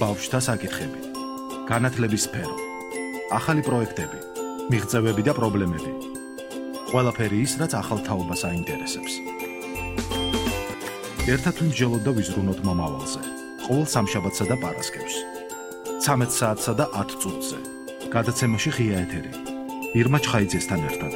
ბავშვთა საკითხები, განათლების სფერო, ახალი პროექტები, მიღწევები და პრობლემები. ყველაფერი ის, რაც ახალ თაობას აინტერესებს. ერთად ვიმსჯელოთ და ვიზრუნოთ მომავალზე. ყოველ სამშაბათსა და პარასკევს. 13 საათსა და 10 წუთზე. გადაცემაში ღია ეთერი. ირმა ჩხაიძესთან ერთად.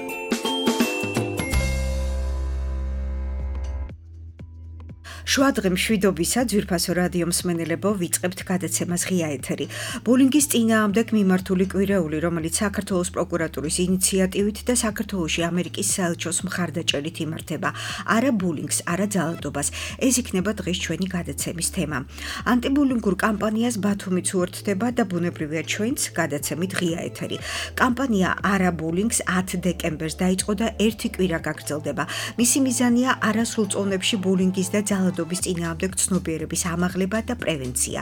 შვადღე მშვიდობისა ძვირფასო რადიო მსმენელებო, ვიწყებთ გადაცემას ღია ეთერი. ბულინგის წინააღმდეგ მიმართული კვირეული, რომელიც საქართველოს პროკურატურის ინიციატივით და საქართველოში ამერიკის საელჩოს მხარდაჭერით იმართება. არა ბულინგს, არა ძალადობას. ეს იქნება დღეს ჩვენი გადაცემის თემა. ანტიბულინგურ კამპანიას ბათუმიც უერთდება და ბუნებრივია ჩვენც გადაცემით ღია ეთერი. კამპანია არა ბულინგს 10 დეკემბერს დაიწყო და ერთი კვირა გაგრძელდება. მისი მიზანია არასრულწლოვნებში ბულინგის და ძალადობის წინააღმდეგ ცნობიერების ამაღლება და პრევენცია.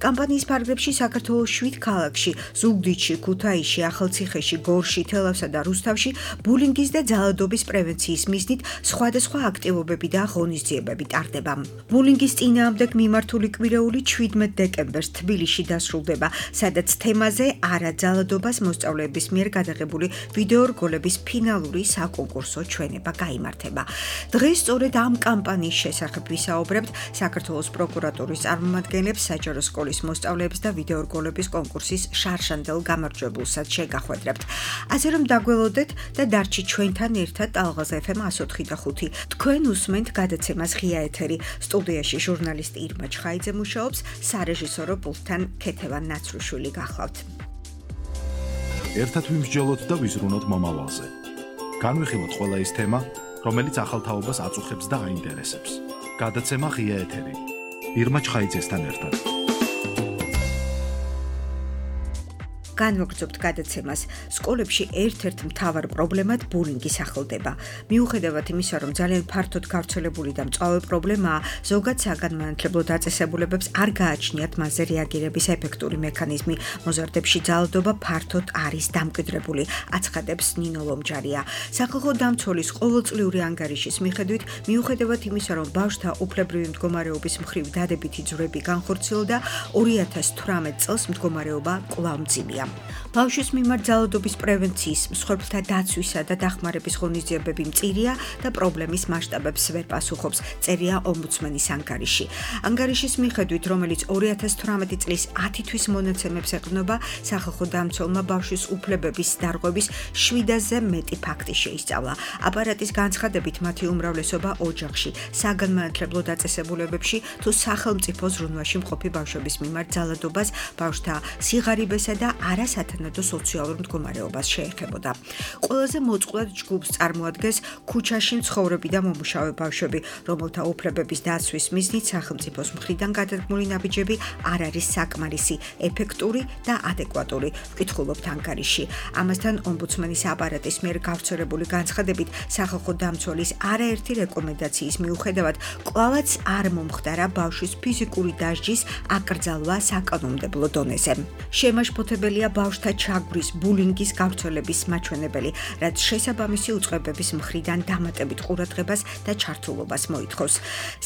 კამპანიის ფარგლებში საქართველოს 7 ქალაქში, ზუგდიდში, ქუთაისში, ახალციხეში, გორში, თელავსა და რუსთავში ბულინგის და ძალადობის პრევენციის მიზნით სხვადასხვა აქტივობები და ღონისძიებები ტარდება. ბულინგის წინააღმდეგ მიმართული კვირეული 17 დეკემბერს თბილისში დასრულდება, სადაც თემაზე არა ძალადობას მოსწავლეების მიერ გადაღებული ვიდეო რგოლების ფინალური საკონკურსო ჩვენება გაიმართება. დღეს სწორედ ამ კამპანიის შესახებ ვისაუბრებთ საქართველოს პროკურატურის წარმომადგენლებს, საჯარო სკოლის მოსწავლეებს და ვიდეო რგოლების კონკურსის შარშანდელ გამარჯვებულსაც შეგახვედრებთ. ასე რომ დაგველოდეთ და დარჩით ჩვენთან ერთად ტალღაზ FM 104.5. თქვენ უსმენთ გადაცემას ღია ეთერი. სტუდიაში ჟურნალისტი ირმა ჩხაიძე მუშაობს, სარეჟისორო პულტთან ქეთევან ნაცრუშვილი გახლავთ. ერთად ვიმსჯელოთ და ვიზრუნოთ მომავალზე. განვიხილოთ ყველა ის თემა, რომელიც ახალ თაობას აწუხებს და აინტერესებს. გადაცემა ღია ეთერი. ირმა ჩხაიძესთან ერთად. განვაგრძობთ გადაცემას. სკოლებში ერთ-ერთ მთავარ პრობლემად ბულინგი სახელდება. მიუხედავად იმისა, რომ ძალიან ფართოდ გავრცელებული და მწვავე პრობლემაა, ზოგად საგანმანათლებლო დაწესებულებებს არ გააჩნიათ მასზე რეაგირების ეფექტური მექანიზმი. მოზარდებში ძალადობა ფართოდ არის დამკვიდრებული, აცხადებს ნინო ლომჯარია. სახალხო დამცველის ყოველწლიური ანგარიშის მიხედვით, მიუხედავად იმისა, რომ ბავშვთა უფლებრივი მდგომარეობის მხრივ დადებითი ძვრები განხორციელდა, 2018 წელს მდგომარეობა კვლავ მძიმეა. ბავშვის მიმართ ძალადობის პრევენციის, მსხვერპლთა დაცვისა და დახმარების ღონისძიებები მწირია და პრობლემის მასშტაბებს ვერ პასუხობს, წერია ომბუდსმენის ანგარიში. ანგარიშის მიხედვით, რომელიც 2018 წლის 10 თვის მონაცემებს ეყრდნობა, სახალხო დამცველმა ბავშვის უფლებების დარღვევის 7-ზე მეტი ფაქტი შეისწავლა. აპარატის განცხადებით, მათი უმრავლესობა ოჯახში, საგანმანათლებლო დაწესებულებებში თუ სახელმწიფო ზრუნვაში მყოფი ბავშვების მიმართ ძალადობას, ბავშვთა სიღარიბესა და არასათანადო სოციალურ მდგომარეობას შეეხებოდა. ყველაზე მოწყვლად ჯგუფს წარმოადგენს ქუჩაში მცხოვრები და მომუშავე ბავშვები, რომელთა უფლებების დაცვის მიზნით სახელმწიფოს მხრიდან გადადგმული ნაბიჯები არ არის საკმარისი, ეფექტური და ადეკვატური, ვკითხულობთ ანგარიში. ამასთან ომბუდსმენის აპარატის მიერ გავრცელებული განცხადებით, სახალხო დამცველის არაერთი რეკომენდაციის მიუხედავად, კვლავაც არ მომხდარა ბავშვის ფიზიკური დასჯის აკრძალვა საკანონმდებლო დონეზე. შემაშფოთებელია ბავშვთა ჩაგვრის, ბულინგის გავრცელების მაჩვენებელი, რაც შესაბამისი უწყებების მხრიდან დამატებით ყურადღებას და ჩართულობას მოითხოვს.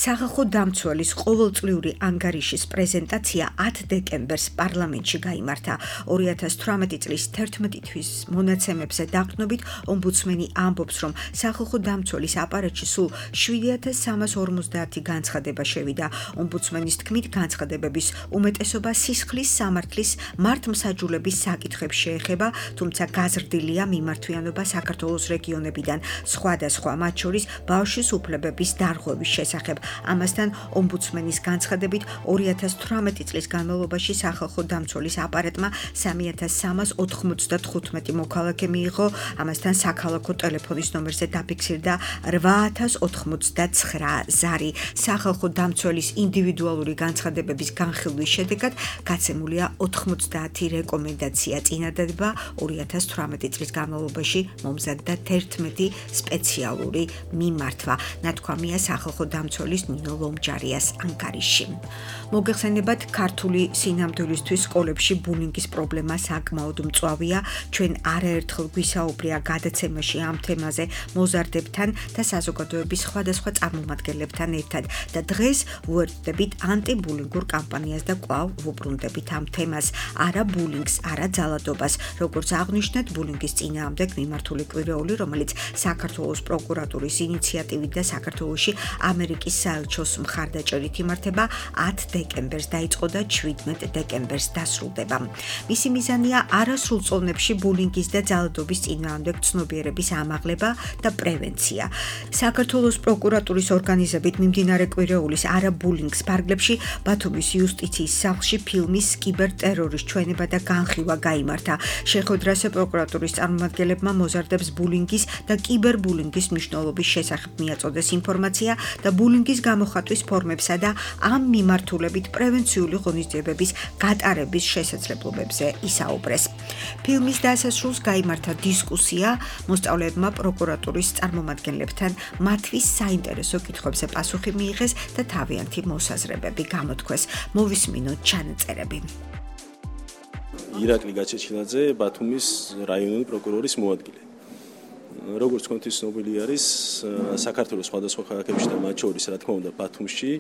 სახალხო დამცველის ყოველწლიური ანგარიშის პრეზენტაცია 10 დეკემბერს პარლამენტში გაიმართა. 2018 წლის 11 თვის მონაცემებზე დაყრდნობით, ომბუდსმენი ამბობს, რომ სახალხო დამცველის აპარატში სულ 7350 განცხადება შევიდა. ომბუდსმენის თქმით, განცხადებების უმეტესობა სისხლის სამართლის მართლმსაჯულების საკითხებს შეეხება, თუმცა გაზრდილია მიმართვიანობა საქართველოს რეგიონებიდან, სხვადასხვა მათ შორის ბავშვის უფლებების დარღვევის შესახებ. ამასთან, ომბუდსმენის განცხადებით, 2018 წლის განმავლობაში სახალხო დამცველის აპარატმა 3395 მოქალაქე მიიღო, ამასთან საქალაქო ტელეფონის ნომერზე დაფიქსირდა 8099 ზარი. სახალხო დამცველის ინდივიდუალური განცხადებების განხილვის შედეგად გაცემულია 90 რეკომენდაცია მიღწევია წინადადება 2018 წლის განმავლობაში მომზადდა 11 სპეციალური მიმართვა, ნათქვამია სახალხო დამცველის ნინო ლომჯარიას ანკარისში. მოგეხსენებათ, ქართული სინამდვილისთვის სკოლებში ბულინგის პრობლემა საკმაოდ მწვავეა. ჩვენ არაერთხელ გვისაუბრია გადაცემაში ამ თემაზე მოზარდებთან და საზოგადოების სხვადასხვა წარმომადგენლებთან ერთად და დღეს ვუერთდებით ანტიბულინგურ კამპანიას და კვლავ ვუბრუნდებით ამ თემას. არა ბულინგს, არა ძალადობას, როგორც აღნიშნეთ, ბულინგის წინააღმდეგ მიმართული კვირეული, რომელიც საქართველოს პროკურატურის ინიციატივით და საქართველოში ამერიკის საელჩოს მხარდაჭერით იმართება 10 დეკემბერს დაიწყო და 17 დეკემბერს დასრულდება. მისი მიზანია არასრულ წონებში ბულინგის და ძალადობის წინააღმდეგ ცნობიერების ამაღლება და პრევენცია. საქართველოს პროკურატურის ორგანიზებით მიმდინარე კვირეულის არა ბულინგს ფარგლებში ბათუმის იუსტიციის სახლში ფილმის კიბერტერორის ჩვენება და განხილვა გაიმართა. შეხვედრაზე პროკურატურის წარმომადგენლებმა მოზარდებს ბულინგის და კიბერბულინგის მნიშვნელობის შესახებ მიაწოდეს ინფორმაცია და ბულინგის გამოხატვის ფორმებსა და ამ მიმართულებით პრევენციული ღონისძიებების გატარების შესაძლებლობებზე ისაუბრეს. ფილმის დასასრულს გაიმართა დისკუსია, მოსწავლეებმა პროკურატურის წარმომადგენლებთან მათთვის საინტერესო კითხვებზე პასუხი მიიღეს და თავიანთი მოსაზრებები გამოთქვეს. მოვისმინოთ ჩანაწერები. ირაკლი გაჩეჩილაძე, ბათუმის რაიონული პროკურორის მოადგილე. როგორც თქვენთვის ცნობილი არის, საქართველოს სხვადასხვა ქალაქებში და მათ შორის, რა თქმა უნდა, ბათუმში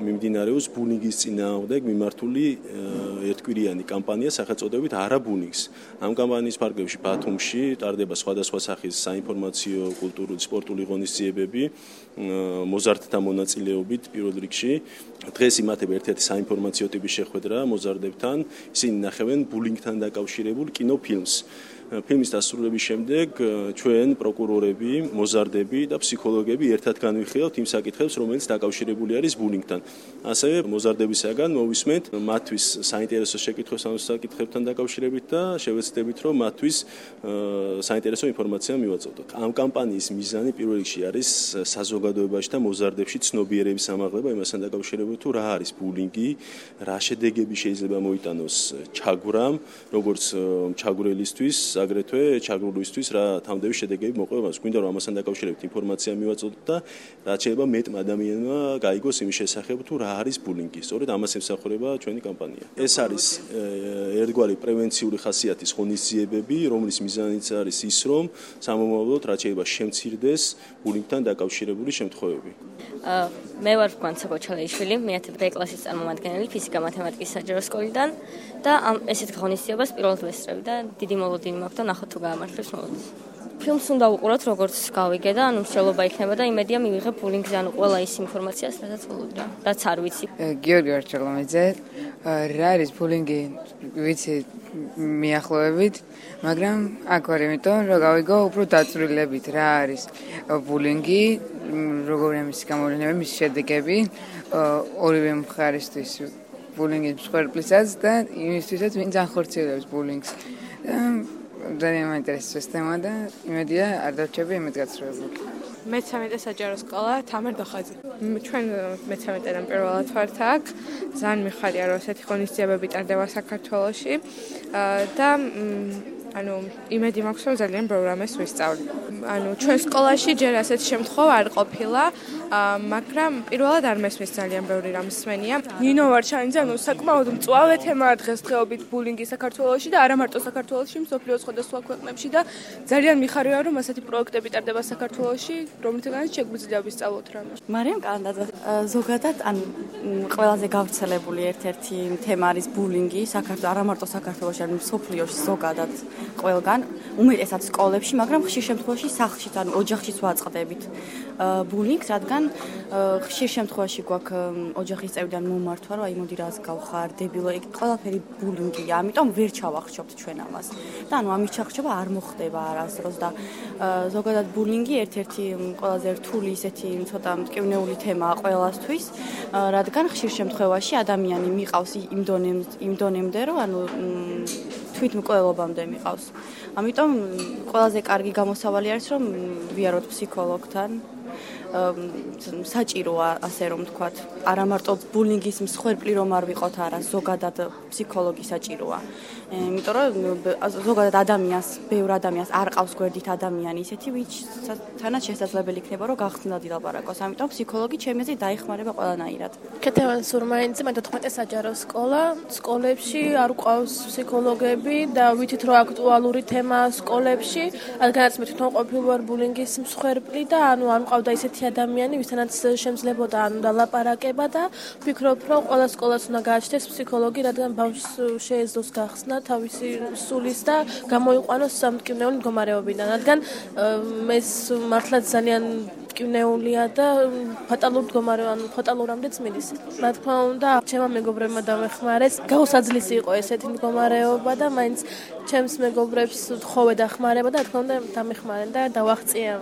მიმდინარეობს ბულინგის წინააღმდეგ მიმართული ერთკვირიანი კამპანია სახელწოდებით არა ბულინგს. ამ კამპანიის ფარგლებში ბათუმში ტარდება სხვადასხვა სახის საინფორმაციო, კულტურული, სპორტული ღონისძიებები მოზარდთა მონაწილეობით პირველ რიგში. დღეს იმართება ერთ-ერთი საინფორმაციო ტიპის შეხვედრა მოზარდებთან, ისინი ნახევენ ბულინგთან დაკავშირებულ კინოფილმს. ფილმის დასრულების შემდეგ ჩვენ პროკურორები, მოზარდები და ფსიქოლოგები ერთად განვიხილავთ იმ საკითხებს, რომელიც დაკავშირებული არის ბულინგთან. ასევე მოზარდებისაგან მოვისმენთ მათთვის საინტერესო შეკითხვებს ამ საკითხებთან დაკავშირებით და შევეცდებით, რომ მათთვის საინტერესო ინფორმაცია მივაწოდოთ. ამ კამპანიის მიზანი პირველ რიგში არის საზოგადოებაში და მოზარდებში ცნობიერების ამაღლება იმასთან დაკავშირებით, თუ რა არის ბულინგი, რა შედეგები შეიძლება მოიტანოს ჩაგვრამ, როგორც ჩაგვრელისთვის აგრეთვე ჩაგრულისთვის რა თავდების შედეგები მოყვება მას. გვინდა რომ ამასთან დაკავშირებით ინფორმაცია მივაწოდოთ და რაც შეიძლება მეტმა ადამიანმა გაიგოს იმის შესახებ თუ რა არის ბულინგი. სწორედ ამას ემსახურება ჩვენი კამპანია. ეს არის ერთგვარი პრევენციული ხასიათის ღონისძიებები, რომლის მიზანიც არის ის, რომ სამომავლოდ რაც შეიძლება შემცირდეს ბულინგთან დაკავშირებული შემთხვევები. მე ვარ განცაბო ჩალეიშვილი, მე-10 კლასის წარმომადგენელი ფიზიკა-მათემატიკის საჯარო სკოლიდან და ამ ესეთ ღონისძიებას პირველად ვესწრები და დიდი მოლოდინი მაქვს და ნახოთ თუ გაამართლებს მოლოდინს. ფილმს უნდა უყუროთ, როგორც გავიგე და ანუ მსჯელობა იქნება და იმედია მივიღებ ბულინგზე, ანუ ყველა ის ინფორმაციას, რასაც ველოდრა, რაც არ ვიცი. გიორგი ვარჩელომიძე, რა არის ბულინგი, ვიცი მიახლოებით, მაგრამ აქ ვარ იმიტომ, რომ გავიგო უფრო დაწვრილებით რა არის ბულინგი, როგორია მისი გამოვლენა, მისი შედეგები, ორივე მხარისთვის ბულინგის მსხვერპლისას და იმისთვისაც ვინც ახორციელებს ბულინგს. ძალიან მაინტერესებს ეს თემა და იმედია არ დავჩები იმით გაცრუებული. მე-13 საჯარო სკოლა თამარ დოხაძე. ჩვენ მე-13-დან პირველად ვართ აქ. ძალიან მიხარია რომ ესეთი ღონისძიებები ტარდება საქართველოში და ანუ იმედი მაქვს რომ ძალიან პროგრამას ვისწავლი. ანუ ჩვენ სკოლაში ჯერ ასეთ შემთხვევა არ ყოფილა, მაგრამ პირველად არ მესმის ძალიან ბევრი რამ მსმენია. ნინო ვარჩანიძე, ანუ საკმაოდ მწვავე თემაა დღესდღეობით ბულინგი საქართველოში და არა მარტო საქართველოში, მსოფლიოს სხვადასხვა ქვეყნებში და ძალიან მიხარია რომ ასეთი პროექტები ტარდება საქართველოში, რომლითაც შეგვიძლია ვისწავლოთ რამე. მარიამ კანდაძე, ზოგადად ან ყველაზე გავრცელებული ერთ-ერთი თემა არის ბულინგი, არა მარტო საქართველოში, არამედ მსოფლიოში ზოგადად ყველგან, უმეტესად სკოლებში, მაგრამ ხშირ შემთხვევაში სახლშიც, ანუ ოჯახშიც ვაწყდებით ბულინგს, რადგან ხშირ შემთხვევაში გვაქვს ოჯახის წევრიდან მომართვა, რომ აი მოდი რას გავხარ, დებილო, ეგ ყველაფერი ბულინგია, ამიტომ ვერ ჩავახშობთ ჩვენ ამას. და ანუ ამის ჩახშობა არ მოხდება არასდროს და ზოგადად ბულინგი ერთ-ერთი ყველაზე რთული ისეთი ცოტა მტკივნეული თემაა ყველასთვის, რადგან ხშირ შემთხვევაში ადამიანი მიყავს იმ დონემდე, რომ ანუ თვითმკვლელობამდე მიყავს. ამიტომ ყველაზე კარგი გამოსავალი არის, რომ ვიაროთ ფსიქოლოგთან საჭიროა, ასე რომ ვთქვათ, არა მარტო ბულინგის მსხვერპლი რომ არ ვიყოთ, არა, ზოგადად ფსიქოლოგი საჭიროა. იმიტომ რომ ზოგადად ადამიანს, ბევრ ადამიანს არ ყავს გვერდით ადამიანი ისეთი, ვინც თანაც შესაძლებელი იქნება რომ გახსნილად ილაპარაკოს. ამიტომ ფსიქოლოგი ჩემი აზრით დაიხმარება ყველანაირად. ქეთევან სურმაინძე, მე 14 საჯარო სკოლა, სკოლებში არ ყავს ფსიქოლოგები და ვიცით რომ აქტუალური თემაა სკოლებში, რადგანაც მე თვითონ ყოფილი ვარ ბულინგის მსხვერპლი და არ მყავდა ისეთი ადამიანი, ვისთანაც შემძლებოდა ლაპარაკება და ვფიქრობ რომ ყველა სკოლას უნდა გააჩნდეს ფსიქოლოგი, რადგან ბავშვს შეეძლოს გახსნა თავისი სულის და გამოიყვანოს სამტკივნეული მდგომარეობიდან, რადგან ეს მართლაც ძალიან მტკივნეულია და ფატალურამდეც მიდის. რა თქმა უნდა, ჩემმა მეგობრებმა დამეხმარეს, გაუსაძლისი იყო ესეთი მდგომარეობა და მაინც ჩემს მეგობრებს თხოვე დახმარება და რა თქმა უნდა დამეხმარენ და დავაღწიე.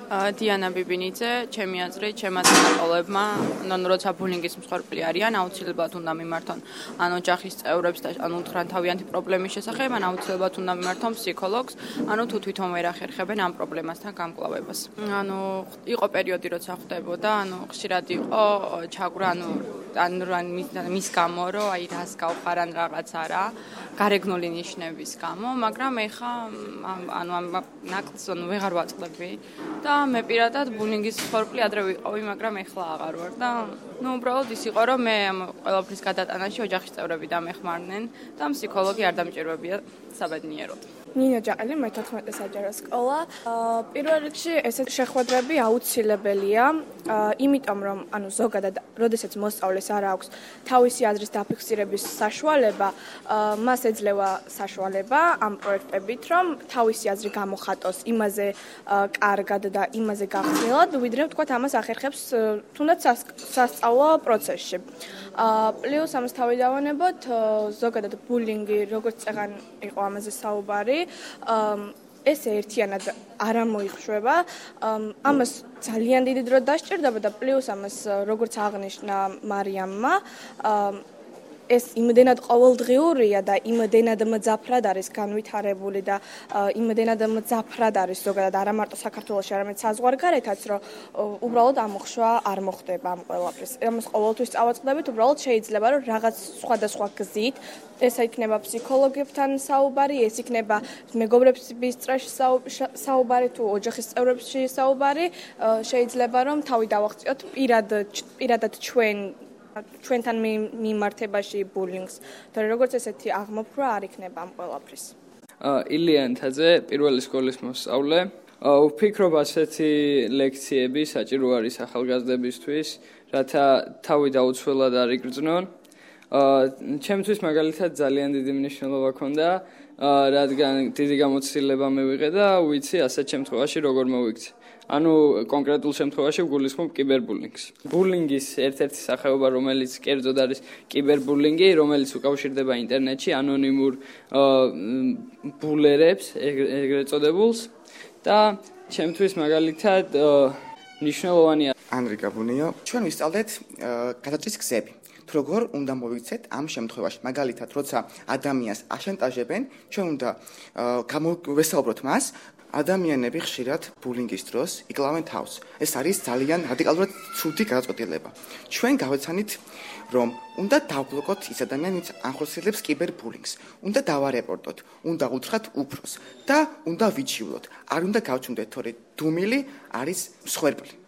დიანა ბიბინიძე, ჩემი აზრით, ჩემმა წინაპრებმა, როცა ბულინგის მსხვერპლი არიან, აუცილებლად უნდა მიმართონ ოჯახის წევრებს და უთხრან თავიანთი პრობლემის შესახებ, აუცილებლად უნდა მიმართონ ფსიქოლოგს, თუ თვითონ ვერ ახერხებენ ამ პრობლემასთან გამკლავებას. იყო პერიოდი, როცა ხვდებოდა, ხშირად იყო ჩაგვრა, მის გამო, რომ რას გავხარან რაღაცა რა, გარეგნული ნიშნების გამო, მაგრამ ეხა ამ ნაკლს ვეღარ ვაწყდები და მე პირადად ბულინგის მსხვერპლი ადრე ვიყავი, მაგრამ ეხლა აღარ ვარ და უბრალოდ ის იყო, რომ მე ამ ყველაფრის გადატანაში ოჯახის წევრები დამეხმარნენ და ფსიქოლოგი არ დამჭირვებია საბედნიეროდ. ნინა ჯაყელი, მე 14 საჯარო სკოლა. პირველ რიგში ესეთ შეხვედრები აუცილებელია, იმიტომ რომ ზოგადად, როდესაც მოსწავლეს არ აქვს თავისი აზრის დაფიქსირების საშუალება, მას ეძლევა საშუალება ამ პროექტებით, რომ თავისი აზრი გამოხატოს იმაზე კარგად და იმაზე გახსნილად, ვიდრე ვთქვათ ამას ახერხებს თუნდაც სასწავლო პროცესში. პლუს ამას თავი დავანებოთ, ზოგადად ბულინგი, როგორც წეგან იყო ამაზე საუბარი, ეს ერთიანად არ მოიხშვება. ამას ძალიან დიდი დრო დასჭირდება და პლუს ამას როგორც აღნიშნა მარიამმა, ეს იმდენად ყოველდღიურია და იმდენად მძაფრად არის განვითარებული და იმდენად მძაფრად არის ზოგადად არა მარტო საქართველოში, არამედ საზღვარგარეთაც, რომ უბრალოდ ამოხშვა არ მოხდება ამ ყველაფრის. ამას ყოველთვის წავაწყდებით, უბრალოდ შეიძლება რომ რაღაც სხვადასხვა გზით, ეს იქნება ფსიქოლოგებთან საუბარი, ეს იქნება მეგობრების წრეში საუბარი თუ ოჯახის წევრებში საუბარი, შეიძლება რომ თავი დავაღწიოთ პირადად ჩვენთან მიმართებაში ბულინგს, თორე როგორც ესეთი აღმოფხვრა არ იქნება ამ ყველაფრის. ილია ანთაძე, პირველი სკოლის მოსწავლე. ვფიქრობ, ასეთი ლექციები საჭირო არის ახალგაზრდებისთვის, რათა თავი დაუცველად არ იგრძნონ. ჩემთვის მაგალითად ძალიან დიდი მნიშვნელობა ჰქონდა, რადგან დიდი გამოცდილება მივიღე და ვიცი ასეთ შემთხვევაში როგორ მოვიქცე. კონკრეტულ შემთხვევაში ვგულისხმობ კიბერბულინგს. ბულინგის ერთ-ერთი სახეობა, რომელიც კერძოდ არის კიბერბულინგი, რომელიც უკავშირდება ინტერნეტში ანონიმურ ბულერებს, ეგრეთ წოდებულს და ჩემთვის მაგალითად მნიშვნელოვანია. ანრიკა ბუნიო, ჩვენ ვისწავლეთ გადაჭრის გზები. თუ როგორ უნდა მოვიქცეთ ამ შემთხვევაში. მაგალითად, როცა ადამიანს აშანტაჟებენ, ჩვენ უნდა ვესაუბროთ მას. ადამიანები ხშირად ბულინგის დროს იკლავენ თავს. ეს არის ძალიან რადიკალურად ცუდი გადაწყვეტილება. ჩვენ გავეცანით, რომ უნდა დავბლოკოთ ის ადამიანი, ვინც ახორციელებს კიბერბულინგს. უნდა დავარეპორტოთ, უნდა უთხრათ უფროს და უნდა ვიჩივლოთ. არ უნდა გავჩნდეთ, თორე დუმილი არის მსხვერპლი.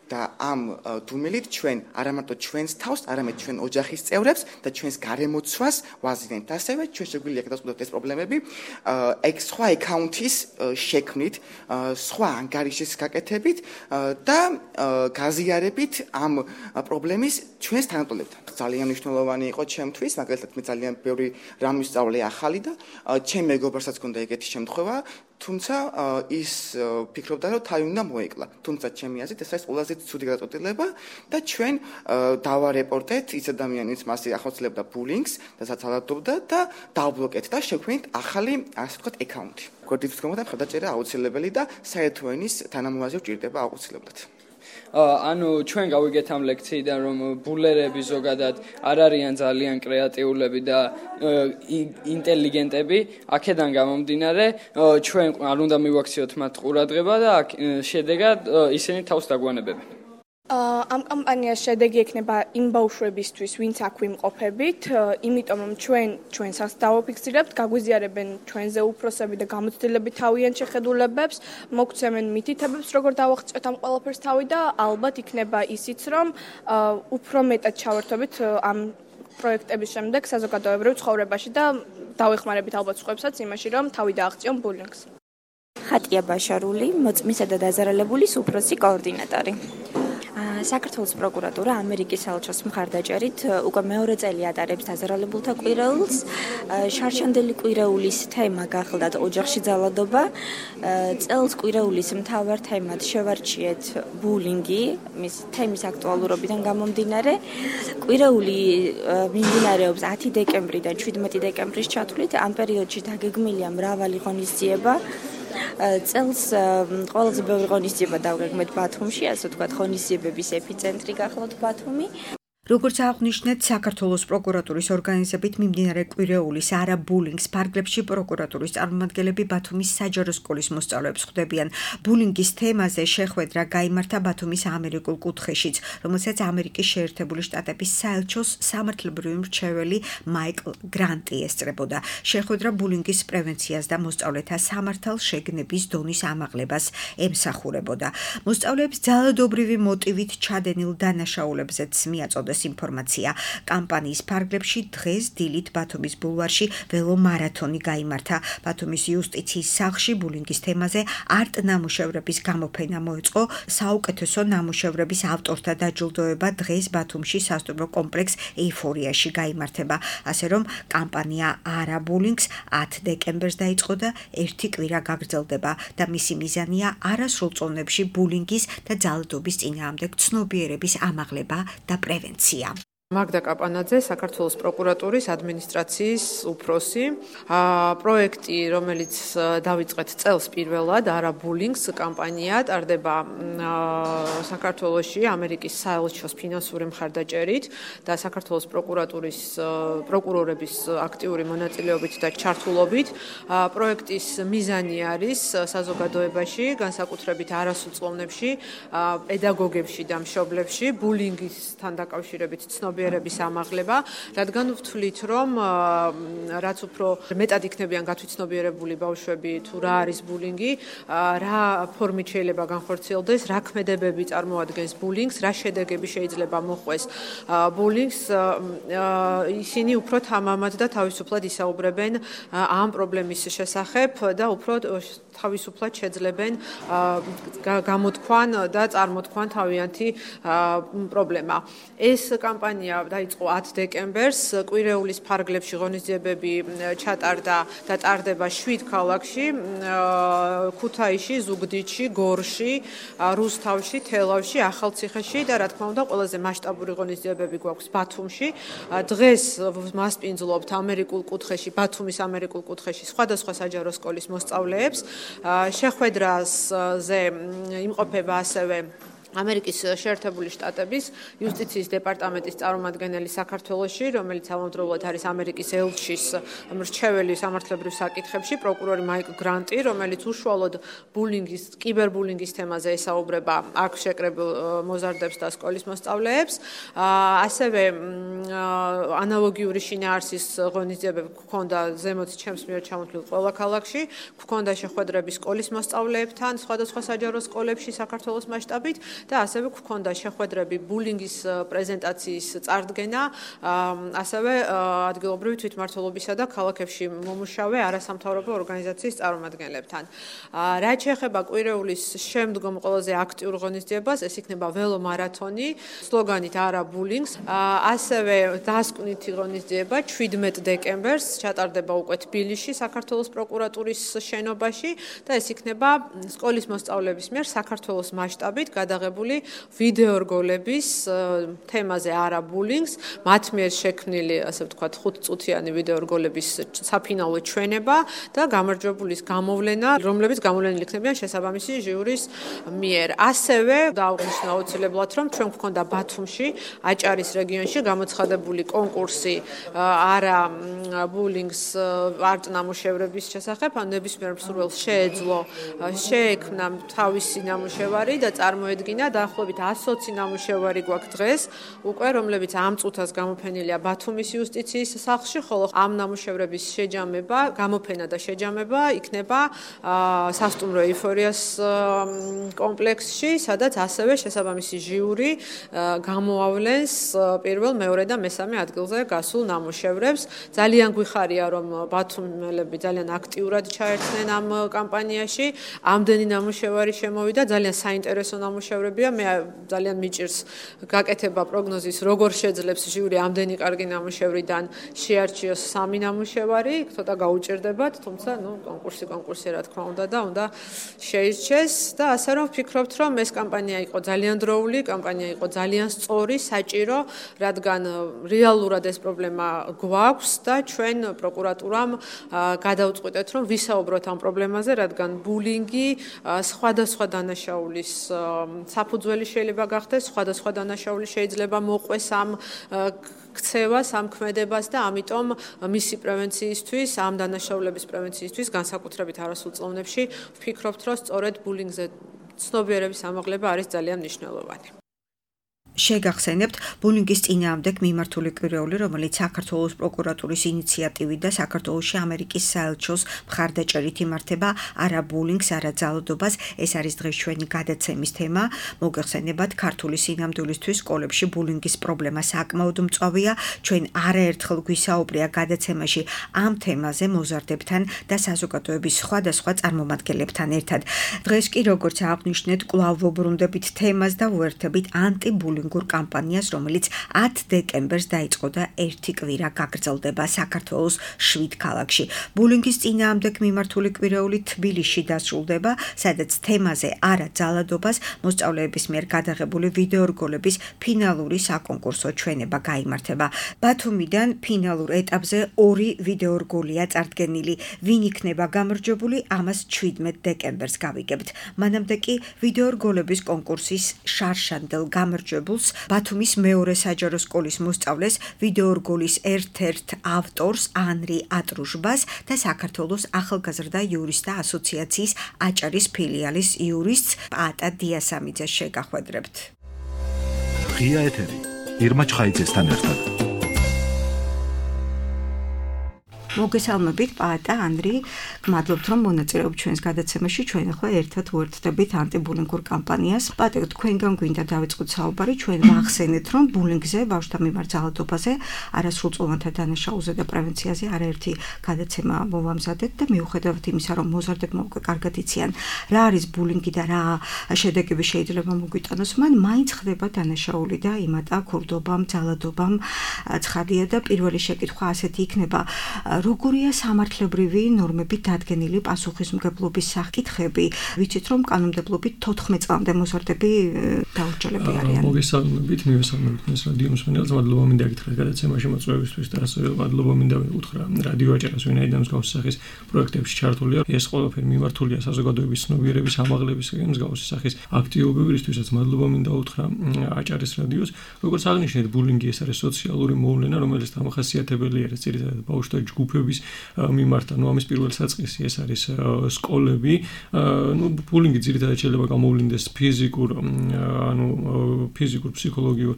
და ამ დუმილით ჩვენ არა მარტო ჩვენს თავს, არამედ ჩვენ ოჯახის წევრებს და ჩვენს გარემოცვას ვაზიანებთ. ასევე ჩვენ შეგვიძლია გადავწყვეტოთ ეს პრობლემები სხვა აკაუნთის შექმნით, სხვა ანგარიშის გაკეთებით და გაზიარებით ამ პრობლემის ჩვენს თანატოლებთან. ძალიან მნიშვნელოვანი იყო ჩემთვის, მაგალითად მე ძალიან ბევრი რამ ვისწავლე ახალი და ჩემ მეგობრსაც ჰქონდა ეგეთი შემთხვევა, თუმცა ის ფიქრობდა, რომ თავი უნდა მოეკლა. თუმცა ჩემი აზრით ეს არის ყველაზე ცუდი გადაწყვეტილება და ჩვენ დავარეპორტეთ ის ადამიანი, ვინც მასზე ახორციელებდა ბულინგს და საცალავდობდა და დავბლოკეთ და შევქმნით ახალი, ასე ვთქვათ, აკაუნთი. გვერდით ვდგომოთ, მხარდაჭერა აუცილებელი და საერთო ენის თანამოაზრე ვჭირდება აუცილებლად. ჩვენ გავიგეთ ამ ლექციიდან, რომ ბულერები ზოგადად არ არიან ძალიან კრეატიულები და ინტელიგენტები. აქედან გამომდინარე, ჩვენ არ უნდა მივაქციოთ მათ ყურადღება და შედეგად ისინი თავს დაგვანებებენ. ამ კამპანიას შედეგი ექნება იმ ბავშვებისთვის, ვინც აქ ვიმყოფებით, იმიტომ რომ ჩვენსაც დავაფიქსირებთ, გაგვიზიარებენ ჩვენზე უფროსები და გამოცდილებით თავიანთ შეხედულებებს, მოგცემენ მითითებებს, როგორ დავაღწევთ ამ ყველაფერს თავი და ალბათ იქნება ისიც, რომ უფრო მეტად ჩავერთვებით ამ პროექტების შემდეგ საზოგადოებრივ ცხოვრებაში და დავეხმარებით ალბათ სხვებსაც იმაში, რომ თავი დააღწიონ ბულინგს. ხატია ბაშარული, მოწმისა და დაზარალებულის უფროსი კოორდინატორი. საქართველოს პროკურატურა ამერიკის საელჩოს მხარდაჭერით უკვე მეორე წელი ატარებს დაზარალებულთა კვირაულს. შარშანდელი კვირაულის თემა გახლდათ ოჯახში ძალადობა. წელს კვირაულის მთავარ თემად შევარჩიეთ ბულინგი, მის თემის აქტუალურობიდან გამომდინარე. კვირაული მიმდინარეობს 10 დეკემბრიდან 17 დეკემბრის ჩათვლით. ამ პერიოდში დაგეგმილია მრავალი ღონისძიება. წელს ყველაზე ბევრი ღონისძიება დავგეგმეთ ბათუმში, ასე ვთქვათ, ღონისძიებების ეპიცენტრი გახლავთ ბათუმი. როგორც აღნიშნეთ, საქართველოს პროკურატურის ორგანიზებით მიმდინარე კვირეულის არა ბულინგს ფარგლებში პროკურატურის წარმომადგენლები ბათუმის საჯარო სკოლის მოსწავლეებს ხვდებიან. ბულინგის თემაზე შეხვედრა გაიმართა ბათუმის ამერიკულ კუთხეშიც, რომელსაც ამერიკის შეერთებული შტატების საელჩოს სამართლებრივი მრჩეველი მაიკლ გრანტი ესწრებოდა. შეხვედრა ბულინგის პრევენციას და მოსწავლეთა სამართალშეგნების დონის ამაღლებას ემსახურებოდა. მოსწავლეებს ძალადობრივი მოტივით ჩადენილ დანაშაულებზეც მიაწოდეს ინფორმაცია. კამპანიის ფარგლებში დღეს დილით ბათუმის ბულვარში ველომარათონი გაიმართა. ბათუმის იუსტიციის სახლში ბულინგის თემაზე არტ ნამუშევრების გამოფენა მოეწყო. საუკეთესო ნამუშევრების ავტორთა დაჯილდოება დღეს ბათუმში სასტუმრო კომპლექს ეიფორიაში გაიმართება. ასე რომ კამპანია არა ბულინგს 10 დეკემბერს დაიწყო და ერთი კვირა გაგრძელდება და მისი მიზანია არასრულწლოვნებში ბულინგის და ძალადობის წინააღმდეგ ცნობიერების ამაღლება და პრევენცია. მაგდა კაპანაძე, საქართველოს პროკურატურის ადმინისტრაციის უფროსი. პროექტი, რომელიც დავიწყეთ წელს პირველად, არა ბულინგს კამპანია, ტარდება საქართველოში ამერიკის საელჩოს ფინანსური მხარდაჭერით და საქართველოს პროკურატურის პროკურორების აქტიური მონაწილეობით და ჩართულობით. პროექტის მიზანი არის საზოგადოებაში, განსაკუთრებით არასრულწლოვნებში, პედაგოგებში და მშობლებში ბულინგისთან დაკავშირებით ცნობიერების ამაღლება, რადგან ვთვლით, რომ რაც უფრო მეტად იქნებიან გათვითცნობიერებული ბავშვები თუ რა არის ბულინგი, რა ფორმით შეიძლება განხორციელდეს, რა ქმედებები წარმოადგენს ბულინგს, რა შედეგები შეიძლება მოყვეს ბულინგს, ისინი უფრო თამამად და თავისუფლად ისაუბრებენ ამ პრობლემის შესახებ და უფრო თავისუფლად შეძლებენ გამოთქვან და წარმოთქვან თავიანთი პრობლემა. ეს კამპანია დაიწყო 10 დეკემბერს, კვირეულის ფარგლებში ღონისძიებები ჩატარდა და ტარდება 7 ქალაქში, ქუთაისში, ზუგდიდში, გორში, რუსთავში, თელავში, ახალციხეში და რა თქმა უნდა, ყველაზე მასშტაბური ღონისძიებები გვაქვს ბათუმში. დღეს მასპინძლობთ ამერიკულ კუთხეში, ბათუმის ამერიკულ კუთხეში სხვადასხვა საჯარო სკოლის მოსწავლეებს. შეხვედრაზე იმყოფება ასევე ამერიკის შეერთებული შტატების იუსტიციის დეპარტამენტის წარმომადგენელი საქართველოში, რომელიც ამავდროულად არის ამერიკის ელჩის მრჩეველი სამართლებრივ საკითხებში, პროკურორი მაიკლ გრანტი, რომელიც უშუალოდ ბულინგის, კიბერბულინგის თემაზე ესაუბრება აქ შეკრებილ მოზარდებს და სკოლის მოსწავლეებს. ასევე ანალოგიური შინაარსის ღონისძიებები გვქონდა ზემოთ ჩემს მიერ ჩამოთვლილ ყველა ქალაქში, გვქონდა შეხვედრები სკოლის მოსწავლეებთან, სხვადასხვა საჯარო სკოლებში საქართველოს მასშტაბით. და ასევე გვქონდა შეხვედრები ბულინგის პრეზენტაციის წარდგენა, ასევე ადგილობრივი თვითმმართველობისა და ქალაქებში მომუშავე არასამთავრობო ორგანიზაციის წარმომადგენლებთან. რაც შეეხება კვირეულის შემდგომ ყველაზე აქტიურ ღონისძიებას, ეს იქნება ველომარათონი, სლოგანით არა ბულინგს. ასევე დასკვნითი ღონისძიება 17 დეკემბერს ჩატარდება უკვე თბილისში, საქართველოს პროკურატურის შენობაში და ეს იქნება სკოლის მოსწავლეების მიერ საქართველოს მასშტაბით გადაღებული ვიდეო რგოლების თემაზე არა ბულინგს, მათ მიერ შექმნილი, ასე ვთქვათ, 5-წუთიანი ვიდეო რგოლების საფინალო ჩვენება და გამარჯვებულის გამოვლენა, რომლებიც გამოვლენილი იქნებიან შესაბამისი ჟიურის მიერ. ასევე დაუღნიშნა აუცილებლად, რომ ჩვენ გვქონდა ბათუმში, აჭარის რეგიონში გამოცხადებული კონკურსი არა ბულინგს არტ ნამუშევრების შესახებ, ან ნებისმიერ მსურველს შეეძლო შეექმნა თავისი ნამუშევარი და წარმოედგინა წინა დაახლოებით 120 ნამუშევარი გვაქვს დღეს უკვე, რომლებიც ამ წუთას გამოფენილია ბათუმის იუსტიციის სახლში, ხოლო ამ ნამუშევრების შეჯამება, გამოფენა და შეჯამება იქნება სასტუმრო ეიფორიას კომპლექსში, სადაც ასევე შესაბამისი ჟიური გამოავლენს პირველ, მეორე და მესამე ადგილზე გასულ ნამუშევრებს. ძალიან გვიხარია, რომ ბათუმელები ძალიან აქტიურად ჩაერთნენ ამ კამპანიაში. ამდენი ნამუშევარი შემოვიდა, ძალიან საინტერესო ნამუშევრებია. მე ძალიან მიჭირს გაკეთება პროგნოზის, როგორ შეძლებს ჟიური ამდენი კარგი ნამუშევრიდან შეარჩიოს 3 ნამუშევარი, ცოტა გაუჭირდებათ, თუმცა კონკურსი რა თქმა უნდა და უნდა შეირჩეს და ასე რომ ვფიქრობთ, რომ ეს კამპანია იყო ძალიან დროული, კამპანია იყო ძალიან სწორი, საჭირო, რადგან რეალურად ეს პრობლემა გვაქვს და ჩვენ პროკურატურამ გადავწყვიტეთ, რომ ვისაუბროთ ამ პრობლემაზე, რადგან ბულინგი სხვადასხვა დანაშაულის საფუძველი შეიძლება გახდეს, სხვადასხვა დანაშაული შეიძლება მოყვეს ამ ქცევას, ამ ქმედებას და ამიტომ მისი პრევენციისთვის, ამ დანაშაულების პრევენციისთვის განსაკუთრებით არასრულ წლოვნებში ვფიქრობთ, რომ სწორედ ბულინგზე ცნობიერების ამაღლება არის ძალიან მნიშვნელოვანი. შეგახსენებთ ბულინგის წინააღმდეგ მიმართული კვირეული, რომელიც საქართველოს პროკურატურის ინიციატივით და საქართველოში ამერიკის საელჩოს მხარდაჭერით იმართება არა ბულინგს, არა ძალადობას. ეს არის დღეს ჩვენი გადაცემის თემა. მოგეხსენებათ, ქართული სინამდვილისთვის სკოლებში ბულინგის პრობლემა საკმაოდ მწვავეა. ჩვენ არაერთხელ გვისაუბრია გადაცემაში ამ თემაზე მოზარდებთან და საზოგადოების სხვადასხვა წარმომადგენლებთან ერთად. დღეს კი, როგორც აღნიშნეთ, კვლავ ვუბრუნდებით თემას და ვუერთებით ანტიბულინგ კამპანიას, რომელიც 10 დეკემბერს დაიწყო და 1 კვირა გაგრძელდება საქართველოს 7 ქალაქში. ბულინგის წინააღმდეგ მიმართული კვირეული თბილისში დასრულდება, სადაც თემაზე არა ძალადობას მოსწავლეების მიერ გადაღებული ვიდეორგოლების ფინალური საკონკურსო ჩვენება გაიმართება. ბათუმიდან ფინალურ ეტაპზე 2 ვიდეორგოლია წარდგენილი. ვინ იქნება გამარჯვებული, ამას 17 დეკემბერს გავიგებთ. მანამდე კი ვიდეორგოლების კონკურსის შარშანდელ გამარჯვებულს ბათუმის მეორე საჯარო სკოლის მოსწავლეს, ვიდეორგოლის ერთ-ერთ ავტორს ანრი ატრუშბას და საქართველოს ახალგაზრდა იურისტთა ასოციაციის აჭარის ფილიალის იურისტს პაატა დიასამიძეს შეგახვედრებთ. ღია ეთერი ირმა ჩხაიძესთან ერთად. მოგესალმებით პაატა ანრი, მადლობთ რომ მონაწილეობთ ჩვენს გადაცემაში. ჩვენ ახლა ერთად ვუერთდებით ანტიბულინგურ კამპანიას. პაატა, თქვენგან გვინდა დავიწყოთ საუბარი. ჩვენ ვახსენეთ, რომ ბულინგზე, ბავშვთა მიმართ ძალადობაზე, არასრულწლოვანთა დანაშაულზე და პრევენციაზე არაერთი გადაცემა მოვამზადეთ და მიუხედავად იმისა, რომ მოზარდებმა უკვე კარგად იციან, რა არის ბულინგი და რა შედეგები შეიძლება მოგვიტანოს, მან მაინც ხდება დანაშაული და იმატა ქურდობამ, ძალადობამ. ცხადია და პირველი შეკითხვა ასეთი იქნება, როგორია სამართლებრივი ნორმებით დადგენილი პასუხისმგებლობის საკითხები? ვიცით, რომ კანონმდებლობით 14 წლამდე მოზარდები დაურჩელები არიან. მოგესალმებით, მივესალმებით თქვენს რადიო მსმენელს. მადლობა მინდა გითხრათ გადაცემაში მოწვევისთვის და ასევე მადლობა მინდა უთხრა რადიო აჭარას, ვინაიდან მსგავსი სახის პროექტებში ჩართულია. ეს ყველაფერი მიმართულია საზოგადოების ცნობიერების ამაღლებისკენ, მსგავსი სახის აქტივობებისთვისაც მადლობა მინდა უთხრა აჭარის რადიოს. როგორც აღნიშნეთ, ბულინგი ეს არის სოციალური მოვლენა, რომელიც დამახასიათებელი არის ძირითადად ბავშვთა ჯგუფების მიმართ. ამის პირველი საწყისი ეს არის სკოლები. ბულინგი ძირითადად შეიძლება გამოვლინდეს ფიზიკურ, ფსიქოლოგიურ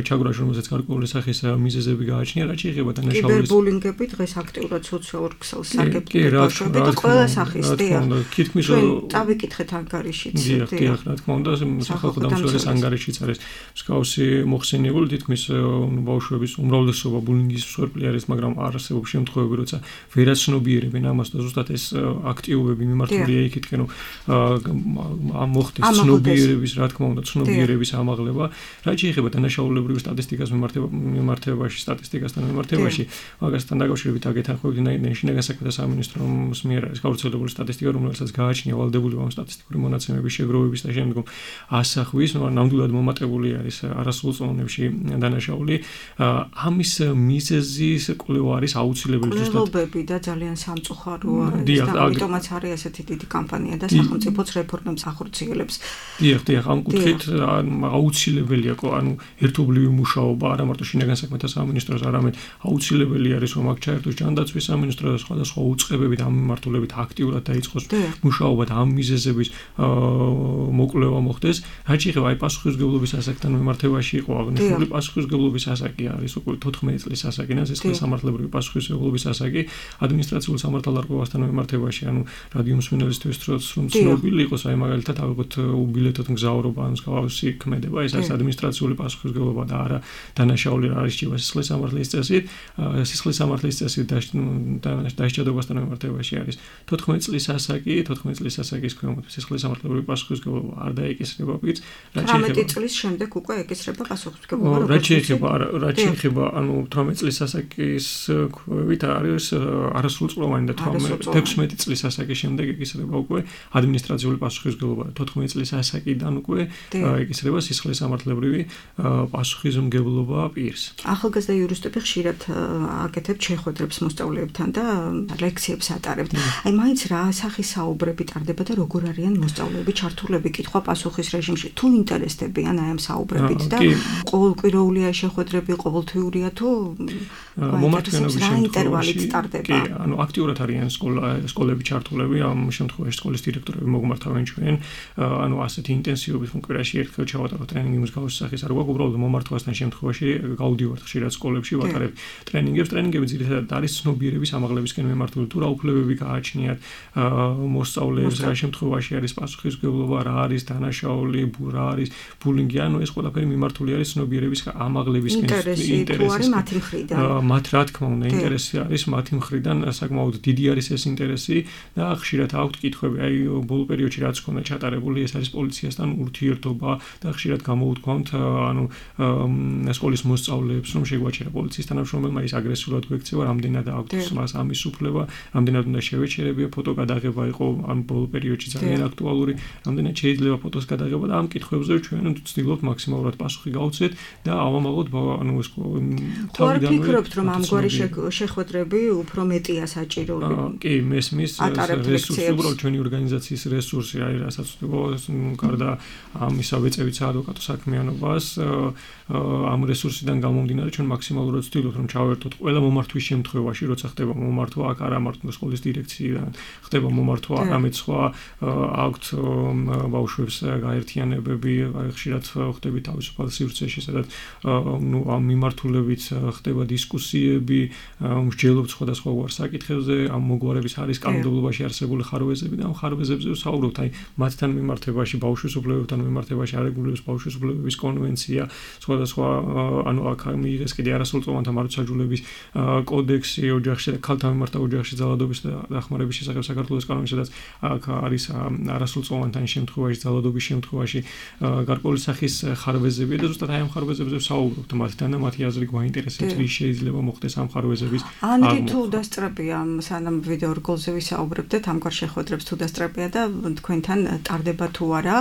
ჩაგვრაში, რომელსაც გარკვეული სახის მიზეზები გააჩნია, რაც შეიძლება დანაშაულის. კიბერბულინგები დღეს აქტიურად სოციალურ ქსელს სარგებლობენ ბავშვები და ყველა სახის ჩვენ დავიკითხეთ ანგარიშიც. დიახ, რა თქმა უნდა, სახალხო დამცველის ანგარიშიც არის მსგავსი მოხსენიებული, თითქმის ბავშვების უმრავლესობა ბულინგის მსხვერპლი არის, მაგრამ არსებობს შემთხვევები, როცა ვერაცნობიერებენ ამას და ზუსტად ეს აქტივობები მიმართულია იქითკენ, რომ მოხდეს ცნობიერების, რა თქმა უნდა, ცნობიერების ამაღლება. რაც შეეხება დანაშაულებრივ სტატისტიკას სტატისტიკასთან მიმართებაში, მაგასთან დაკავშირებით აკეთახმებით შინაგან საქმეთა სამინისტროს მიერ არის გავრცელებული სტატისტიკა, რომელსაც გააჩნია ვალდებული ამ სტატისტიკური მონაცემების შეგროვების და შემდგომ ასახვის, ნამდვილად მომატებული არის არასრულწლოვნებში დანაშაული. ამის მიზეზის კვლევა არის აუცილებელი მკვლელობები და ძალიან სამწუხაროა და ამიტომაც არის ესეთი დიდი კამპანია და სახელმწიფოც რეფორმებს ახორციელებს. დიახ, ამ კუთხით აუცილებელია, ერთობლივი მუშაობა არა მარტო შინაგან საქმეთა სამინისტროს, არამედ აუცილებელი არის, რომ აქ ჩაერთოს ჯანდაცვის სამინისტრო და სხვადასხვა უწყებებით ამ მიმართულებით აქტიურად დაიწყოს მუშაობა და ამ მიზეზების მოკვლევა მოხდეს. რაც შეეხება პასუხისმგებლობის ასაკთან მიმართებაში იყო აღნიშნული პასუხისმგებლობის ასაკი არის უკვე 14 წლის ასაკი და სისხლის სამართლებრივი პასუხისმგებლობის ასაკი ადმინისტრაციულ სამართალდარღვევასთან მიმართებაში, რადიო მსმენელისთვის რომ ცნობილი იყოს, მაგალითად ავიღოთ უბილეთოთ მგზავრობა ან მსგავსი ქმედება, ეს არის ადმინისტრაციული პასუხისმგებლობა და არა დანაშაული რა არის ჭირდება სისხლის სამართლის წესით. სისხლის სამართლის წესით დასჯადობასთან მიმართებაში არის 14 წლის ასაკი, 14 წლის ასაკის ქვემოთ სისხლის სამართლებრივი პასუხისმგებლობა არ დაეკისრება პირს. 18 წლის შემდეგ უკვე ეკისრება პასუხისმგებლობა. რაც შეეხება 18 წლის ასაკის ქვევით არის არასრულწლოვანი და 16 წლის ასაკის შემდეგ ეკისრება უკვე ადმინისტრაციული პასუხისმგებლობა. 14 წლის ასაკიდან უკვე ეკისრება სისხლის სამართლებრივი პასუხისმგებლობა პირს. ახალგაზრდა იურისტები ხშირად აკეთებთ შეხვედრებს მოსწავლეებთან და ლექციებს ატარებთ. მაინც რა სახის საუბრები ტარდება და როგორ არიან მოსწავლეები ჩართულები კითხვა-პასუხის რეჟიმში? თუ ინტერესდებიან ამ საუბრებით და ყოველკვირეულია შეხვედრები, ყოველთვიურია თუ მომართვენობის ინტერვალით ტარდება? აქტიურად არიან სკოლები ჩართულები, ამ შემთხვევაში სკოლის დირექტორები მოგმართავენ ჩვენ, ასეთი ინტენსივობით კვირაში ერთხელ ჩავატაროთ ტრენინგი მსგავსი სახის არ გვაქვს, უბრალოდ მომართვასთან შემთხვევაში გავდივართ ხშირად სკოლებში, ვატარებთ ტრენინგებს. ტრენინგები ძირითადად არის ცნობიერების ამაღლებისკენ მიმართული, თუ რა უფლებები გააჩნიათ მოსწავლეებს, რა შემთხვევაში არის პასუხისმგებლობა, რა არის დანაშაული, რა არის ბულინგი, ეს ყველაფერი მიმართული არის ცნობიერების ამაღლებისკენ. ინტერესი მათი მხრიდან. მათ რა თქმა უნდა ინტერესი არის მათი მხრიდან, საკმაოდ დიდი არის ეს ინტერესი და ხშირად აქვთ კითხვები, ბოლო პერიოდში რაც ჰქონდა ჩატარებული, ეს არის პოლიციასთან ურთიერთობა და ხშირად გამოუთქვამთ სკოლის მოსწავლეებს, რომ შეგვაჩერა პოლიციის თანამშრომელმა, ის აგრესიულად გვექცევა, რამდენად აქვს მას ამის უფლება, რამდენად უნდა შევეჩერებია, ფოტო გადაღება იყო ამ ბოლო პერიოდში ძალიან აქტუალური, რამდენად შეიძლება ფოტოს გადაღება და ამ კითხვებზე ჩვენ ვცდილობთ მაქსიმალურად პასუხი გავცეთ და ავამაღლოთ თავიდანვე. ვფიქრობთ, რომ ამგვარი შეხვედრები უფრო მეტია საჭირო. კი, მესმის რესურსი, უბრალოდ ჩვენი ორგანიზაციის რესურსი არის, რასაც გარდა ამისა ვეწევით საადვოკატო საქმიანობას, ამ რესურსიდან გამომდინარე ჩვენ მაქსიმალურად ვცდილობთ, რომ ჩავერთოთ ყველა მომართვის შემთხვევაში, როცა ხდება მომართვა, აქ არა მარტო სკოლის დირექციიდან, ხდება მომართვა არამედ სხვა აქვთ ბავშვებს გაერთიანებები, ხშირად ხდება თავისუფალ სივრცეში, სადაც ამ მიმართულებით ხდება დისკუსიები, მსჯელობთ სხვადასხვა საკითხებზე, ამ მოგვარების არის კანონმდებლობაში არსებული ხარვეზები და ამ ხარვეზებზე ვსაუბრობთ, მათთან მიმართებაში, ბავშვის უფლებებთან მიმართებაში არეგულირებს ბავშვის უფლებების კონვენცია, სხვადასხვა აქ მიიღეს კიდე არასრულწლოვანთა მარადმუნების კოდექსი ოჯახში და ქალთა მიმართ ოჯახში ძალადობის და დახმარების შესახებ საქართველოს კანონი, სადაც აქ არის არასრულწლოვანთა შემთხვევაში, ძალადობის შემთხვევაში გარკვეული სახის ხარვეზები და ზუსტად ამ ხარვეზებზე ვსაუბრობთ მათთან და მათი აზრი გვაინტერესებს, რის შეიძლება მოხდეს ამ ხარვეზების ანდრი თუ დასწრებია, სანამ ვიდეო რგოლზე ვისაუბრებდეთ, ამგვარ შეხვედრებს თუ დასწრებია და თქვენთან ტარდება თუ არა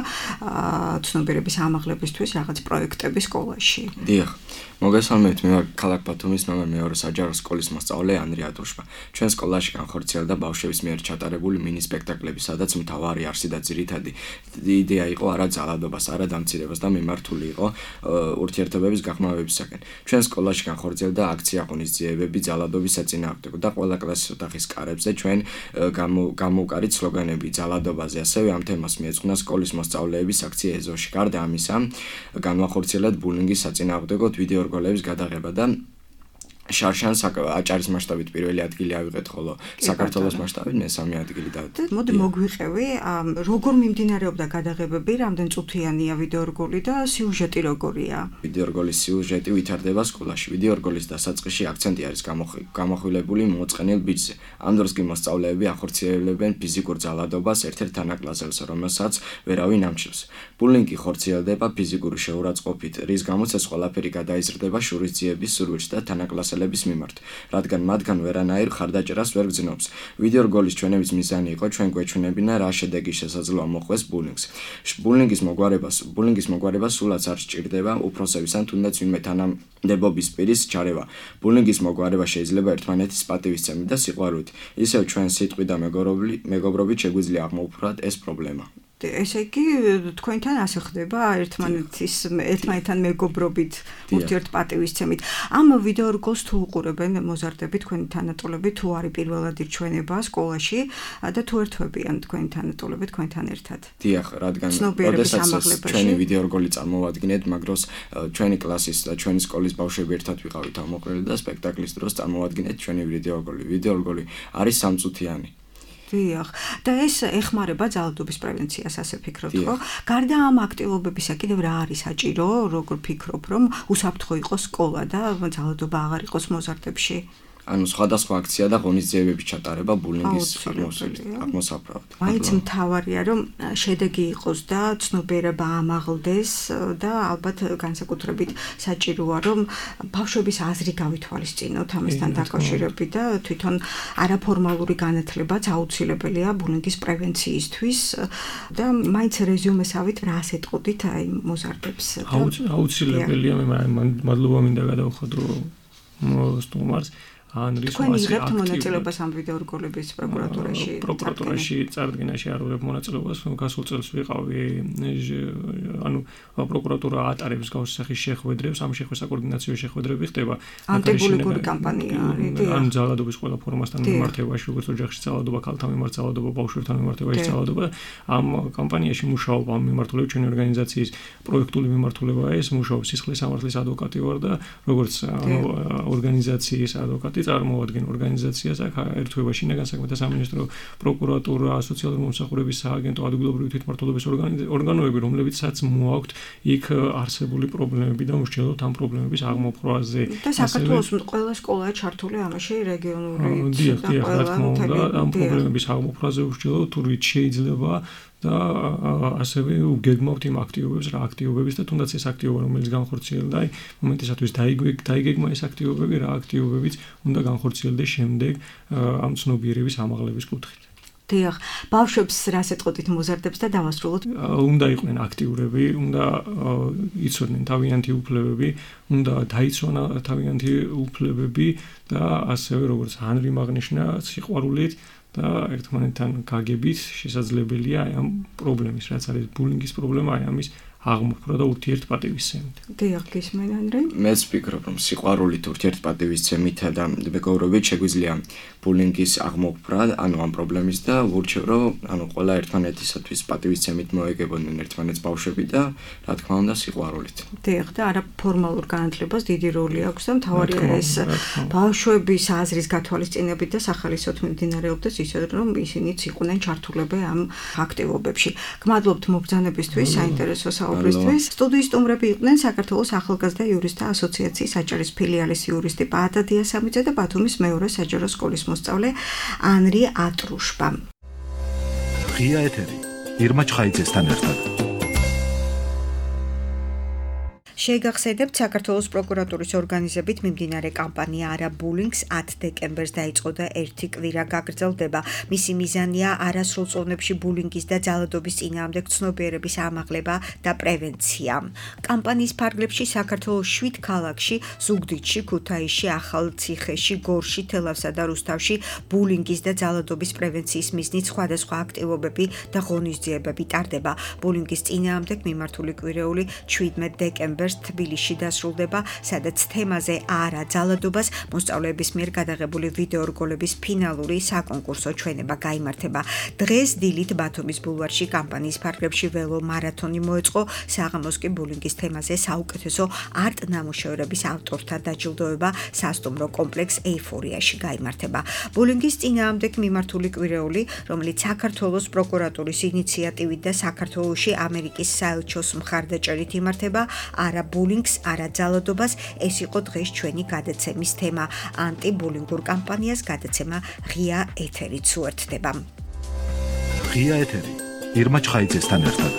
ცნობიერების ამაღლებისთვის რაღაც პროექტები სკოლაში? დიახ. მოგესალმებით, მე ვარ ქალაქ ბათუმის ნომერ 2 საჯარო სკოლის მოსწავლე ანდრი ატუშმა. ჩვენ სკოლაში განხორციელდა ბავშვების მიერ ჩატარებული მინი სპექტაკლები, სადაც მთავარი არსი და ძირითადი იდეა იყო არა ძალადობას, არა დამცირებას და მიმართული იყო ურთიერთობების გაღრმავებისაკენ. ჩვენ სკოლაში განხორციელდა აქცია ღონისძიებები ძალადობის საწინააღმდეგო და ყველა კლასის ოთახის კარებზე ჩვენ გამოვკარით სლოგანები ძალადობაზე. ასევე ამ თემას მიეძღვნა სკოლის მოსწავლეების აქცია ეზოში. გარდა ამისა, განვახორციელეთ ბულინგის საწინააღმდეგო ვიდეო რგოლების გადაღება და შარშან აჭარის მასშტაბით პირველი ადგილი ავიღეთ, ხოლო საქართველოს მასშტაბით მესამე ადგილი დავით. მოდი მოგვიყევი, როგორ მიმდინარეობდა გადაღებები, რამდენ წუთიანია ვიდეო რგოლი და სიუჟეტი როგორია? ვიდეო რგოლის სიუჟეტი ვითარდება სკოლაში. ვიდეო რგოლის დასაწყისში აქცენტი არის გამახვილებული მოწყენილ ბიჭზე. ამ დროს კი მოსწავლეები ახორციელებენ ფიზიკურ ძალადობას ერთ-ერთ თანაკლასელს, რომელსაც ვერავინ ამჩნევს. ბულინგი ხორციელდება ფიზიკური შეურაცხყოფით, რის გამოც ეს ყველაფერი გადაიზრდება შურისძიების სურვილში და თანაკლასელები მოსახლეობის მიმართ, რადგან მათგან ვერანაირ ხარდაჭერას ვერ გძნობს. ვიდეო რგოლის ჩვენების მიზანი იყო ჩვენ გვეჩვენებინა რა შედეგი შესაძლოა მოყვეს ბულინგს. ბულინგის მოგვარება სულაც არ სჭირდება უფროსების ან თუნდაც ვინმე თანამდებობის პირის ჩარევა. ბულინგის მოგვარება შეიძლება ერთმანეთის პატივისცემით და სიყვარულით. ისევ ჩვენ სიტყვით და მეგობრობით შეგვიძლია აღმოვფხვრათ ეს პრობლემა. ესე იგი თქვენთან ასე ხდება ერთმანეთთან მეგობრობით ურთიერთპატივისცემით. ამ ვიდეო რგოლს თუ უყურებენ მოზარდები თქვენი თანატოლები თუ არის პირველად ირჩვენება სკოლაში და თუ ერთვებიან თქვენი თანატოლები თქვენთან ერთად. დიახ, რადგან როდესაც ჩვენი ვიდეო რგოლი წარმოვადგინეთ, მაგროს ჩვენი კლასის და ჩვენი სკოლის ბავშვები ერთად ვიყავით ამოყრილი და სპექტაკლის დროს წარმოვადგინეთ ჩვენი ვიდეო რგოლი. ვიდეო რგოლი არის 3 წუთიანი. დიახ, და ეს ეხმარება ძალადობის პრევენციას, ასე ფიქრობთ, ხო? გარდა ამ აქტივობებისა, კიდევ რა არის საჭირო, როგორ ფიქრობ, რომ უსაფრთხო იყოს სკოლა და ძალადობა აღარ იყოს მოზარდებში? ანუ სხვადასხვა აქცია და ღონისძიებების ჩატარება ბულინგის აღმოსაბრად. მაინც მთავარია, რომ შედეგი იყოს და ცნობიერება ამაღლდეს და ალბათ განსაკუთრებით საჭიროა, რომ ბავშვების აზრი გავითვალისწინოთ ამასთან დაკავშირებით და თვითონ არაფორმალური განათლებაც აუცილებელია ბულინგის პრევენციისთვის და მაინც რეზიუმესავით რას ეტყოდით აი მოზარდებს? აუცილებელია, მე მადლობა მინდა გადავხადრო სტუმარს. თქვენ იღებთ მონაწილეობას ამ ვიდეო რგოლების პროკურატურაში წარდგენაში არ ვიღებ მონაწილეობას, გასულ წელს ვიყავი, ანუ პროკურატურა ატარებს გავს სახის შეხვედრებს, ამ საკოორდინაციო შეხვედრები ხდება ანტიბულინგური კამპანია არის. ან ძალადობის ყველა ფორმასთან მიმართებაში, როგორც ოჯახში ძალადობა, ქალთან მიმართ ძალადობა, ბავშვებთან მიმართებაში ძალადობა, ამ კამპანიაში მუშაობ ამ მიმართულებით ჩვენი ორგანიზაციის პროექტული მიმართულებაა ეს, მუშაობს სისხლის სამართლის ადვოკატი ვარ და როგორც ორგანიზაციის ადვოკატი წარმოადგენ ორგანიზაციას აქ ერთვება შინაგან საქმეთა სამინისტრო, პროკურატურა, სოციალური მომსახურების სააგენტო, ადგილობრივი თვითმმართველობის ორგანოები, რომლებიცაც მოაქვთ იქ არსებული პრობლემები და უშჯელოთ ამ პრობლემების აღმოფხვრაზე. და საქართველოს ყველა სკოლაა ჩართული ამაში რეგიონული და რა თქმა უნდა ამ პრობლემების აღმოფხვრაზე უშჯელოთ თუ რით შეიძლება და ასევე უგეგმავთ იმ აქტივობებს, რა აქტივობების და თუნდაც ეს აქტივობა, რომელიც განხორციელდა, აი მომენტისათვის დაიგეგმა ეს აქტივობები, რა აქტივობებიც უნდა განხორციელდეს შემდეგ ამ ცნობიერების ამაღლების კუთხით. დიახ, ბავშვებს რას ეტყოდით მოზარდებს და დავასრულოთ? უნდა იყვნენ აქტიურები, უნდა იცოდნენ თავიანთი უფლებები, უნდა დაიცვან თავიანთი უფლებები და ასევე როგორც ანრი მაგნიშნა სიყვარულით და ერთმანეთთან გაგებით შესაძლებელია აი ამ პრობლემის, რაც არის ბულინგის პრობლემა, აი ამის აღმოფხვრა და ურთიერთპატივისცემით. დიახ, გისმენ ანრი? მეც ვფიქრობ, რომ სიყვარულით, ურთიერთპატივისცემით და მეგობრობით შეგვიძლია ბულინგის აღმოფხვრა, ანუ ამ პრობლემის და ვურჩევ, რომ ანუ ყველა ერთმანეთისათვის პატივისცემით მოეგებოდნენ ერთმანეთს ბავშვები და რა თქმა უნდა სიყვარულით. დიახ, და არაფორმალურ განათლებას დიდი როლი აქვს და მთავარია ეს ბავშვების აზრის გათვალისწინებით და სახალისოდ მიმდინარეობდეს ისე, რომ ისინიც იყვნენ ჩართულები ამ აქტივობებში. გმადლობთ მობრძანებისთვის, საინტერესო საუბრისთვის. სტუდიის სტუმრები იყვნენ საქართველოს ახალგაზრდა იურისტთა ასოციაციის აჭარის ფილიალის იურისტი პაატა დიასამიძე და ბათუმის მეორე საჯარო სკოლის მოსწავლე ანრი ატრუშბა. ღია ეთერი ირმა ჩხაიძესთან ერთად. შეგახსენებთ, საქართველოს პროკურატურის ორგანიზებით მიმდინარე კამპანია არა ბულინგს 10 დეკემბერს დაიწყო და 1 კვირა გაგრძელდება. მისი მიზანია არასრულ წონებში ბულინგის და ძალადობის წინააღმდეგ ცნობიერების ამაღლება და პრევენცია. კამპანიის ფარგლებში საქართველოს 7 ქალაქში, ზუგდიდში, ქუთაისში, ახალციხეში, გორში, თელავსა და რუსთავში ბულინგის და ძალადობის პრევენციის მიზნით სხვადასხვა აქტივობები და ღონისძიებები ტარდება. ბულინგის წინააღმდეგ მიმართული კვირეული 17 დეკემბერს თბილისში დასრულდება, სადაც თემაზე არა ძალადობას მოსწავლეების მიერ გადაღებული ვიდეო რგოლების ფინალური საკონკურსო ჩვენება გაიმართება. დღეს დილით ბათუმის ბულვარში კამპანიის ფარგლებში ველო მარათონი მოეწყო, საღამოს კი ბულინგის თემაზე საუკეთესო არტ ნამუშევრების ავტორთა დაჯილდოება სასტუმრო კომპლექს ეიფორიაში გაიმართება. ბულინგის წინააღმდეგ მიმართული კვირეული, რომელიც საქართველოს პროკურატურის ინიციატივით და საქართველოში ამერიკის საელჩოს მხარდაჭერით იმართება, არა ბულინგს, არა ძალადობას, ეს იყო დღეს ჩვენი გადაცემის თემა. ანტიბულინგურ კამპანიას გადაცემა ღია ეთერით უერთდება. ღია ეთერი ირმა ჩხაიძესთან ერთად.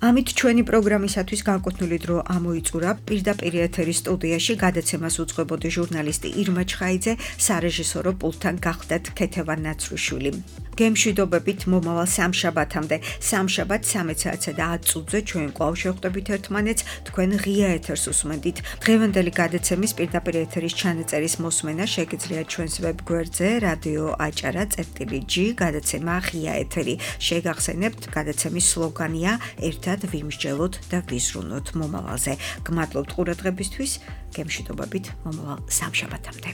ამით ჩვენი პროგრამისათვის განკუთვნილი დრო ამოიწურა. პირდაპირ ეთერის სტუდიაში გადაცემას უძღვებოდი ჟურნალისტი ირმა ჩხაიძე, სარეჟისორო პულტთან გახდათ ქეთევან ნაცრუშვილი. გემშვიდობებით მომავალ სამშაბათამდე. სამშაბათ 13:10 ჩვენ კვლავ შევხვდებით ერთმანეთს, თქვენ ღია ეთერს უსმენდით. დღევანდელი გადაცემის პირდაპირ ეთერის ჩანაწერის მოსმენა შეგიძლიათ ჩვენს ვებგვერდზე რადიო აჭარა.g გადაცემა ღია ეთერი. შეგახსენებთ, გადაცემის სლოგანია ერთად ვიმსჯელოთ და ვიზრუნოთ მომავალზე. გმადლობთ ყურადღებისთვის, გემშვიდობებით მომავალ სამშაბათამდე.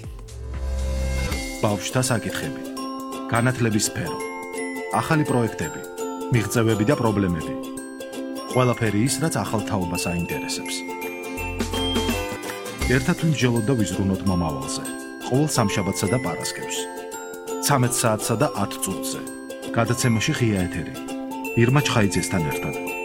ბავშვთა საკითხები, განათლების სფერო, ახალი პროექტები, მიღწევები და პრობლემები. ყველაფერი ის, რაც ახალ თაობას აინტერესებს. ერთად ვიმსჯელოთ და ვიზრუნოთ მომავალზე. ყოველ სამშაბათსა და პარასკევს. 13 საათსა და 10 წუთზე. გადაცემაში ღია ეთერი. ირმა ჩხაიძესთან ერთად.